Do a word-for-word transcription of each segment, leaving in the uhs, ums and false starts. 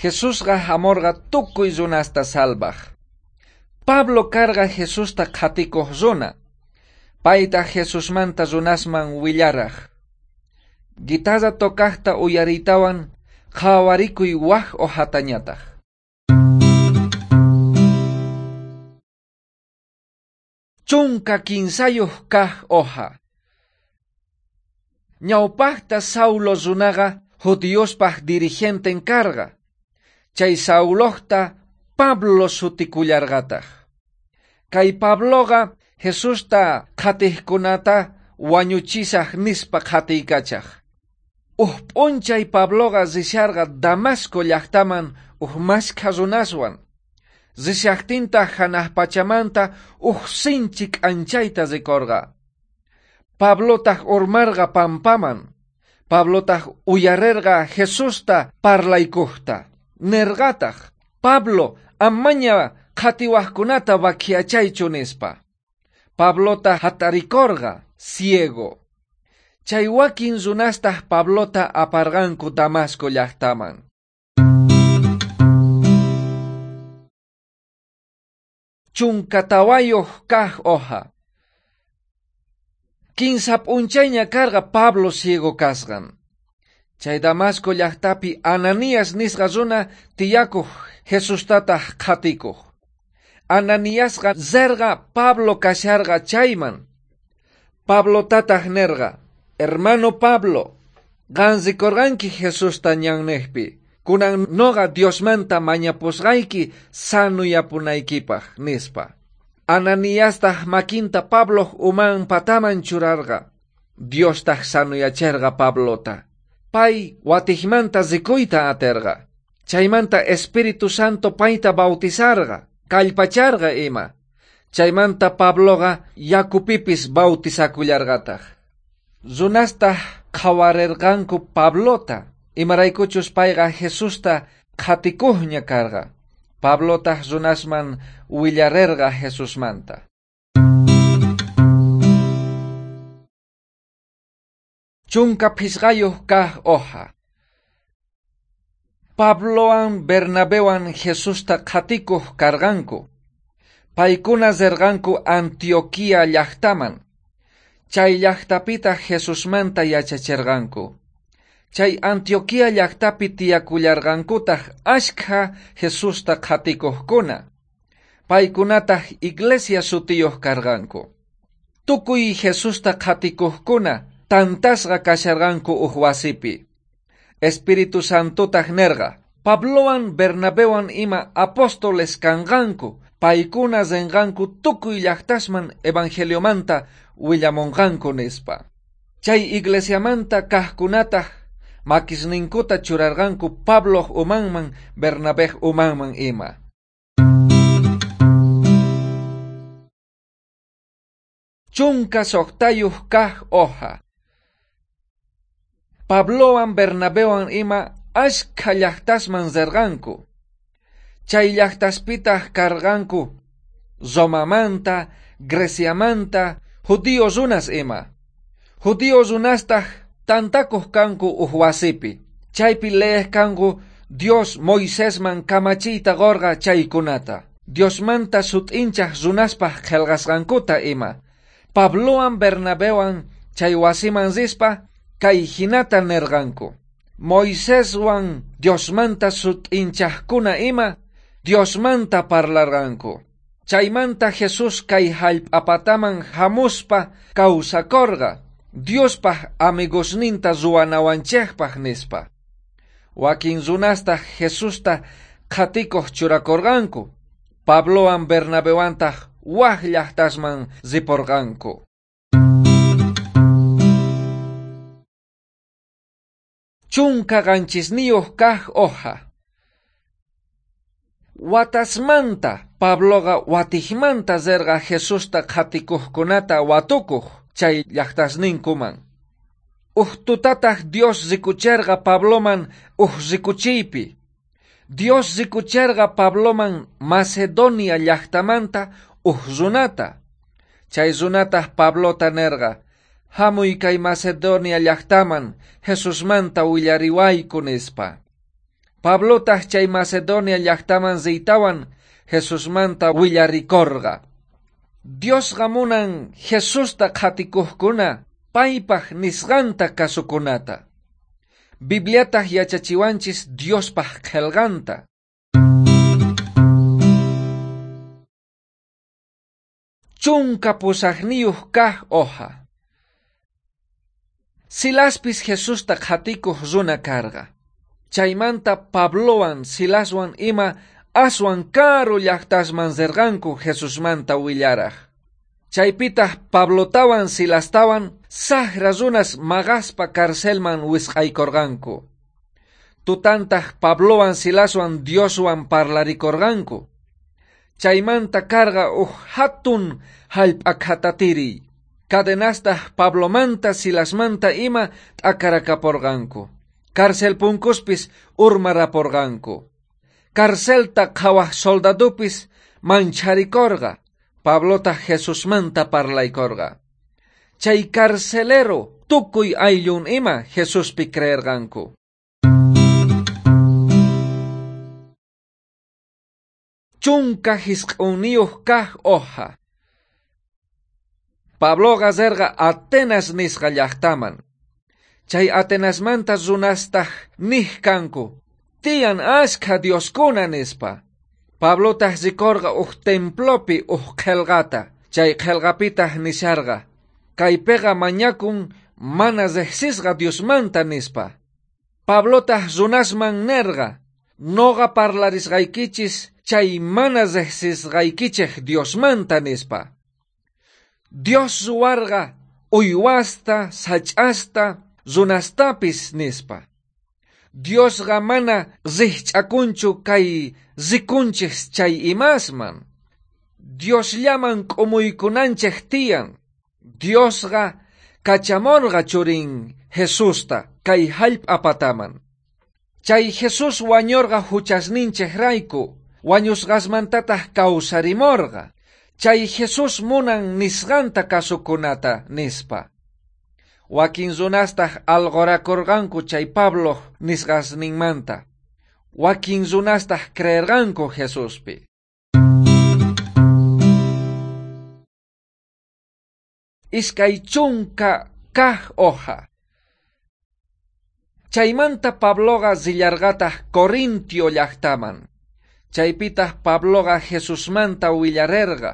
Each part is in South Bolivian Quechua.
Jesusqa hamorqa tukuy runasta salvaj. Pablo karqa Jesusta qhatikuq runa. Paytaq Jesusmanta runasman willaraj. Guitarra tocajta uyariytawan qhawarikuy waj hojatañataq. Chunka kinsayuq kaq hoja. Ñawpaqta Saulo runaqa judiospaq dirigenten karqa. Chay Saulojta Pablo sutikullarqataq. Kay Pabloqa Jesusta qhatiqkunata wañuchisaq nispa qhatiykachaq. Uj p'unchay Pabloqa risharqa Damasco llaqtaman uj mashkha runaswan. Rishaqtintaq hanaq pachamanta uj sinchi k'anchayta rikorqa. Pablotaq urmarqa pampaman. Pablotaq uyarerqa Jesusta parlaykuqta. Nerqataq, Pablo, amaña qhatiwaqkunata vakiachaychu nispa. Pablota hatarikorqa, ciego. Chay wakin runastaq Pablota aparqanku Damasco llaqtaman. Chunka tawayuq kaq hoja. Kinsa p'unchayña karqa Pablo ciego kasqan. Chay Damasco llaqtapi Ananías nisqa runa tiyakuq Jesustataq qhatikuq. Ananiasqa zerqa Pablo kasharqa chayman. Pablotataq nerqa, hermano Pablo, qan rikorqanki Jesusta ñanniqpi. Kunan noqa Diosmanta mañapusqayki sanuyapunaykipaq nispa. Ananiastaq makinta Pabloq uman pataman churarqa. Diostaq sanuyacherqa Pablota. Pay watijmanta rikuyta aterqa. Chaymanta Espíritu Santo payta bautizarqa, kallpacharqa ima. Chaymanta Pabloqa yakupipis bautizakullarqataq. Runastaq qhawarerqanku Pablota, imaraykuchus payqa Jesusta qhatikuqña karqa. Pablotaq runasman willarerqa Jesusmanta. Chunka phisqayuq kaq hoja. Pablowan Bernabewan Jesusta qhatikuq karqanku. Paykuna rirqanku Antioquía llaqtaman. Chay llaqtapitaq Jesusmanta yachacherqanku. Chay Antioquía llaqtapi tiyakullarqankutaq ashkha Jesusta qhatikuqkuna. Paykunataq iglesia sutiyuq karqanku. Tukuy Jesusta qhatikuqkuna tantasqa kasharqanku uj wasipi. Espíritu Santotaq nerqa, Pablowan Bernabewan ima apóstoles kanqanku, paykuna rinqanku tukuy llaqtasman evangeliomanta willamunqanku nispa. Chay iglesiamanta kaqkunataq makisninkuta churarqanku Pabloq umanman Bernabej umanman ima. Chunka suqtayuq kaq hoja. Pablowan Bernabewan ima ashkha llaqtasman rirqanku. Chay llaqtaspitaq karqanku Romamanta, Greciamanta, judío runas ima. Judío runastaq tantakuq kanku uj wasipi. Chaypi leej kanku Dios Moisesman kamachiyta qorqa chaykunata. Diosmanta sut'inchaq runaspaq qhelqasqankuta ima. Pablowan Bernabewan chay wasiman rispa kay hinata nerqanku. Moiseswan Diosmanta sut'inchaqkuna ima Diosmanta parlarqanku. Chaymanta Jesús kay hallp'apataman hamuspa kawsakorqa Diospaq amigosninta ruwanawanchikpaq nispa. Wakin runastaq Jesusta qhatikuq churakorqanku. Pablowan Bernabewantaq waj llaqtasman riporqanku. Chunka qanchisniyuq kaq hoja. Watasmanta Pabloqa watijmanta rirqa Jesusta qhatikuqkunata watukuq chay llaqtasninkuman. Uj tutataq Dios rikucherqa Pabloman uj rikuchiypi. Dios rikucherqa Pabloman Macedonia llaqtamanta uj runata. Chay runataq Pablota nerqa, hamuy kay Macedonia llaqtaman Jesusmanta willariwayku nispa. Pablotaq chay Macedonia llaqtaman riytawan Jesusmanta willarikorqa. Diosqa munan Jesusta qhatikuqkuna paypaq nisqanta kasukunata. Bibliataq yachachiwanchis Diospaq qhelqanta. Chunka pusaqniyuq kaq hoja. Silaspis Jesusta qhatikuq runa karqa. Chaymanta Pablowan Silaswan ima aswan karu llaqtasman rirqanku Jesusmanta willaraj. Chaypitaq Pablotawan Silastawan saqra runas maqaspa carcelman wisq'aykorqanku. Tutantaq Pablowan Silaswan Dioswan parlarikorqanku. Chaymanta karqa uj hatun hallp'a khatatiriy. Cadenastaq Pablomanta Silasmanta ima t'akarakaporqanku. Cárcel punkuspis urmaraporqanku. Carcelta qhawaj soldadupis mancharikorqa. Pablotaq Jesusmanta parlaykorqa. Chay carcelero tukuy ayllun ima Jesuspi creerqanku. Chunka jisq'unniyuq kaq hoja. Pabloqa rirqa Atenas nisqa llaqtaman. Chay Atenasmanta runastaq niq kanku, tiyan ashkha dioskuna nispa. Pablotaq rikorqa uj templopi uj qhelqata, chay qhelqapitaq nisharqa, kaypiqa mañakun mana riqsisqa Diosmanta nispa. Pablotaq runasman nerqa, noqa parlarisqaykichis chay mana riqsisqaykichej Diosmanta nispa. Dios ruwarqa uywasta, sach'asta, runastapis nispa. Diosqa mana rijch'akunchu kay rikunchej chay imasman. Diosllaman k'umuykunanchej tiyan. Diosqa kachamorqa churin Jesusta kay hallp'a pataman. Chay Jesús wañorqa huchasninchejrayku, wañusqasmantataq kawsarimorqa. Chay Jesús munan nisqanta kasukunata nispa. Wakin runastaq alqorakorqanku chay Pablo nisqasninmanta. Wakin runastaq creerqanku Jesuspi. Iskay chunka kaq hoja. Chaymanta Pabloqa rillarqataq Corintio llaqtaman. Chaypitaq Pabloqa Jesusmanta willarerqa.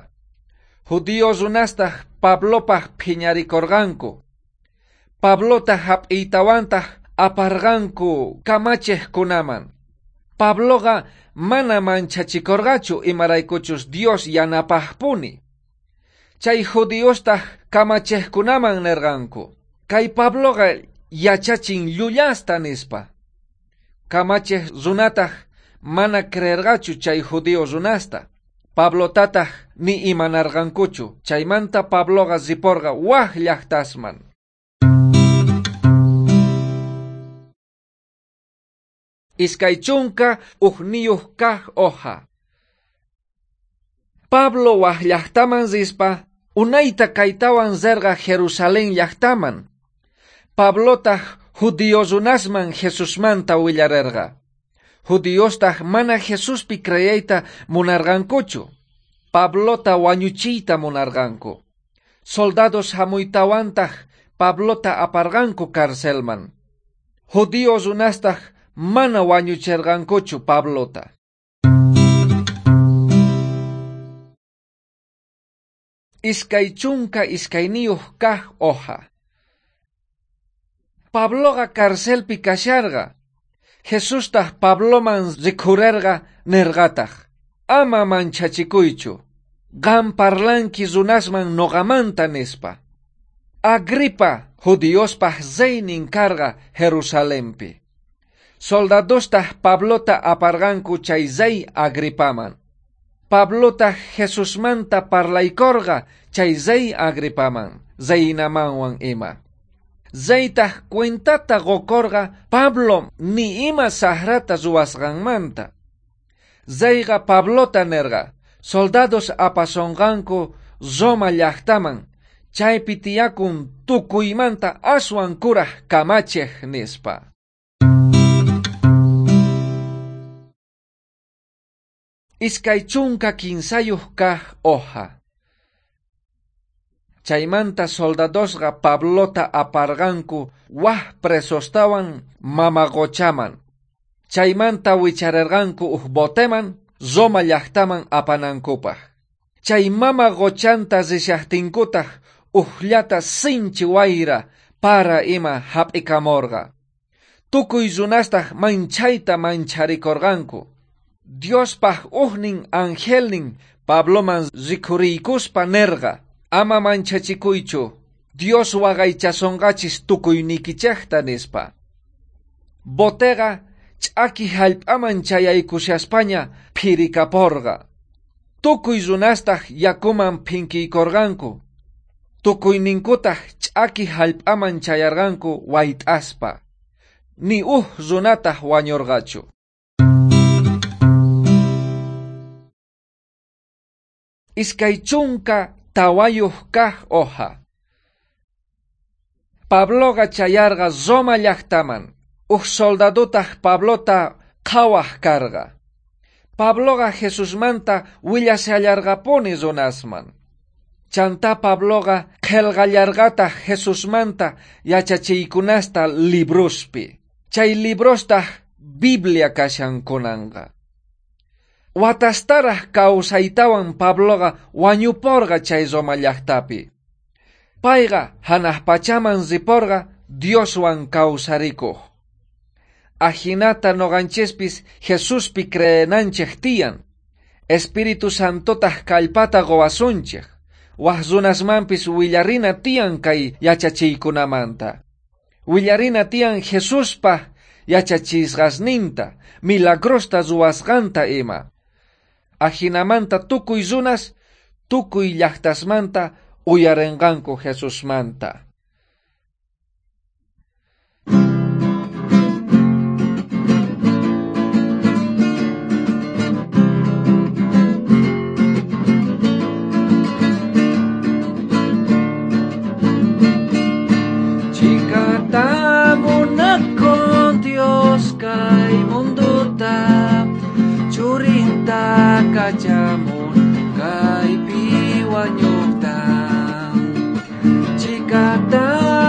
Judío runastaq Pablopaq phiñarikorqanku. Pablota hap'iytawantaq aparqanku kamachejkunaman. Pabloqa mana manchachikorqachu imaraykuchus Dios yanapaqpuni. Chay judiostaq kamachejkunaman nerqanku, kay Pabloqa yachachin llullasta nispa. Kamachej runataq mana creerqachu chay judío runasta. Pablotataq ni imanarqankuchu. Chaymanta Pabloqa riporqa waj llaqtasman. Iskay chunka ujniyuq kaq hoja. Pablo waj llaqtaman rispa unayta kaytawan rirqa Jerusalén llaqtaman. Pablotaq judío runasman Jesusmanta willarerqa. Judiostaq mana Jesuspi creeyta munarqankuchu. Pablota wañuchiyta munarqanku. Soldados hamuytawantaq Pablota aparqanku carcelman. Judío runastaq mana wañucherqankuchu Pablota. Iskay chunka iskayniyuq kaq hoja. Pabloqa carcelpi kasharqa. Jesustaq Pabloman rikhurerqa nerqataq, ama manchachikuychu, qam parlanki runasman noqamanta nispa. Agripa judiospaq reynin karqa Jerusalempi. Soldadostaq Pablota aparqanku chay rey Agripaman. Pablotaq Jesusmanta parlaykorqa chay rey Agripaman, reynamanwan ima. Reytaq cuentata qokorqa Pablo ni ima saqrata ruwasqanmanta. Reyqa Pablota nerqa, soldados apasonqanku Roma llaqtaman, chaypi tiyakun tukuymanta aswan kuraj kamachej nispa. Iskay chunka kinsayuq kaq hoja. Chaymanta soldadosqa Pablota aparqanku waj presostawan mama qochaman. Chaymanta wicharerqanku uj boteman Roma llaqtaman apanankupaq. Chay mama qochanta rishaqtinkutaq ujllata sinchi wayra para ima hap'ikamorqa. Tukuy runastaq manchayta mancharikorqanku. Diospaq ujnin angelnin Pabloman rikhuriykuspa nerqa: ama manchachikuychu, Dios waqaychasonqachis tukuynikichejta nispa. Boteqa ch'aki hallp'aman chayaykushaspaña phirikaporqa. Tukuy runastaq yakuman phinkiykorqanku. Tukuyninkutaq ch'aki hallp'aman chayarqanku wayt'aspa. Ni uj runataq wañurqachu. Iskay chunka tawayuq kaq hoja. Pabloqa chayarqa Roma llaqtaman. Uj soldadotaq Pablota qhawaq karqa. Pabloqa Jesusmanta willashallarqapuni runasman. Chantá Pabloqa qhelqallarqataq Jesusmanta yachachiykunasta librospi. Chay librostaq Biblia kashan kunanqa. Watastaraj kawsaytawan Pabloqa wañuporqa chay Roma llaqtapi. Payqa hanaq pachaman riporqa Dioswan kawsarikuq. Ajinata noqanchispis Jesuspi creenanchej tiyan. Espíritu Santotaq kallpata qowasunchej. Waj runasmanpis willarina tiyan kay yachachiykunamanta. Willarina tiyan Jesuspa yachachisqasninta, milagrosta ruwasqanta ima. Ajinamanta tukuy runas, tukuy llaqtasmanta uyarenqanku Jesusmanta. Chikata munakun Dios kay munduta, churinta kachamun kaypi wañuqta. Chikata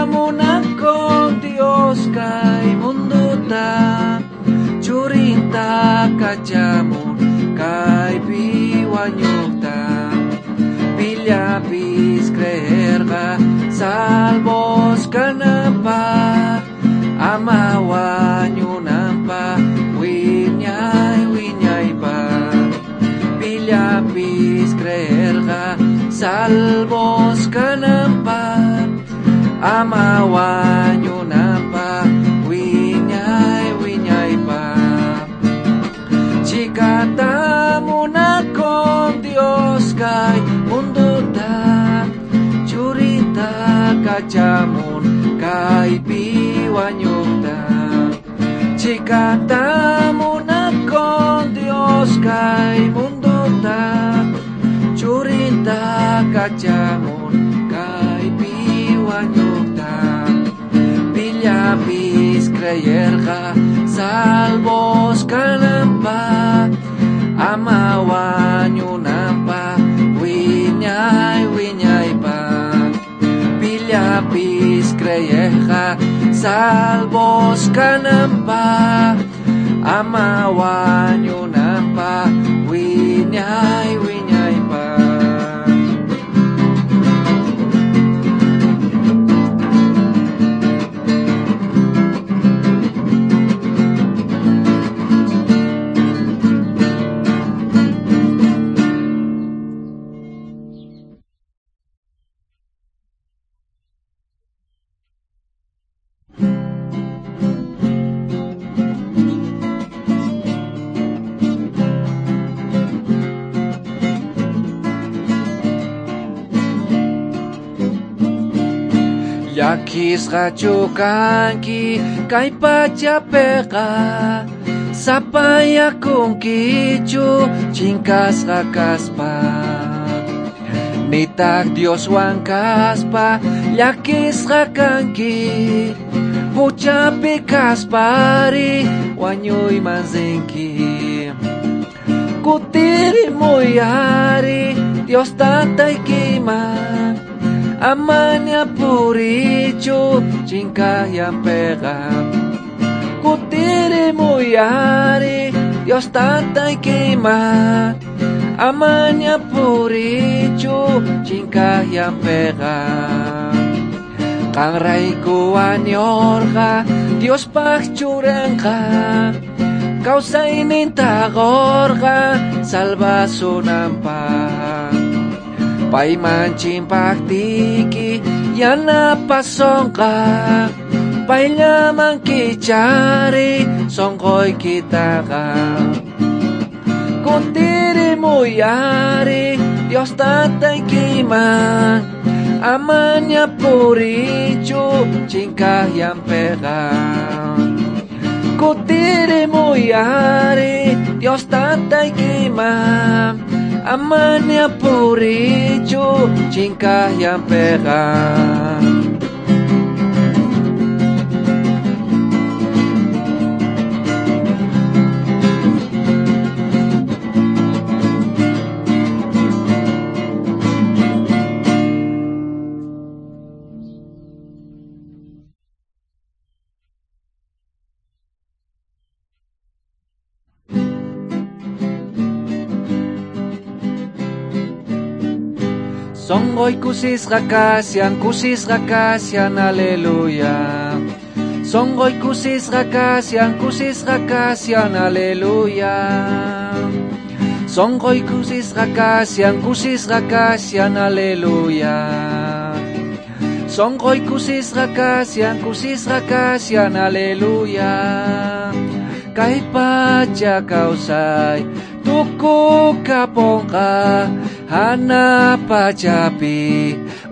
munakun Dios kay munduta, churinta kachamun kaypi wañuqta. Pillapis creerqa salvos kananpa, ama wañunanpa wiñay wiñaypa. Pillapis creerqa salvos kananpa, ama wañunanpa wiñay wiñaypa. Chikata munakun Dios kay munduta, churinta kachamun kaypi wañuqta. Chikata munakun Dios kay munduta, churinta kachamun kaypi wañuqta. Pillapis creerqa salvos kananpa, ama wañunanpa wiñay wiñaypa. Pillapis creerqa salvos kananpa, ama wañunanpa wiñay wiñaypa. Llakisqachu kanki kay pachapiqa, sapayakunkichu chinkasqa kaspa. Nitaq Dioswan kaspa llakisqa kanki, huchapi kaspari wañuyman rinki. Kutirimuy ari Dios tataykiman, amaña purichu chinkayampeqa. Kutirimuy ari Dios tataykiman, amaña purichu chinkayampeqa. Qanrayku wañorqa Diospaj churanqa, kawsayninta qorqa salvasunanpaj. Payman chimpajtiyki yanapasonqa, payllaman kichari sonqoykitaqa. Kutirimuy ari Dios tataykiman, amaña purichu chinkayampeqa. Kutirimuy ari Dios tataykiman, amaña purichu chinkayampeqa. Sonqoy kusisqa kashan, kusisqa kashan, aleluya. Sonqoy kusisqa kashan, kusisqa kashan, aleluya. Sonqoy kusisqa kashan, kusisqa kashan, aleluya. Sonqoy kusisqa kashan, kusisqa kashan, aleluya. Kay pacha kawsay tukukaponqa, hana pachapi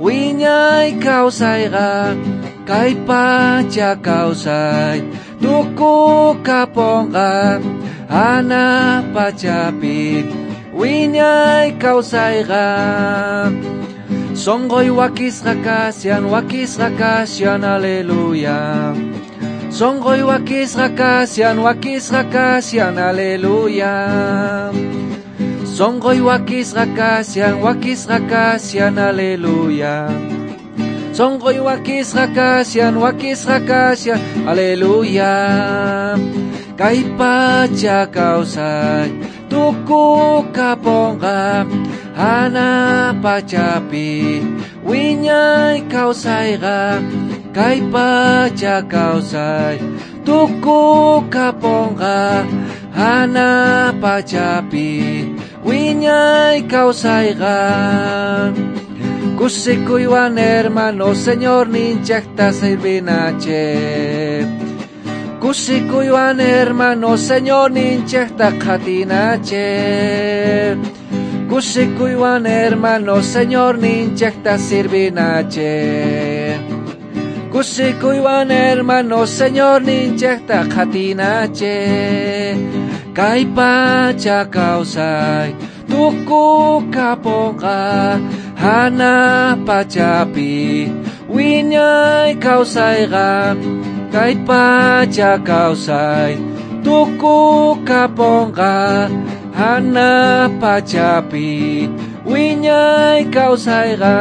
wiñay kawsayqa. Kay pacha kawsay tukukaponqa, hana pachapi wiñay kawsayqa. Sonqoy wakisqa kashan, wakisqa kashan, aleluya. Sonqoy wakisqa kashan, wakisqa kashan, aleluya. Sonqoy wakisqa kashan, wakisqa kashan, aleluya. Sonqoy wakisqa kashan, wakisqa kashan, aleluya. Kay pacha kawsay tukukaponqa, hana pachapi wiñay kawsayqa. Kay pacha kawsay tukukaponqa, hana pachapi wiñay kawsayqa. Kusikuywan hermano Señor ninchaqta sirvinache. Kusikuywan hermano Señor ninchaqta qhatinache. Kusikuywan hermano Señor ninchaqta sirvinache. Kusikuywan hermano Señor ninchaqta qhatinache. Kay pacha kawsay tukukaponqa, hana pachapi wiñay kawsayqa. Kay pacha kawsay tukukaponqa, hana pachapi wiñay kawsayqa.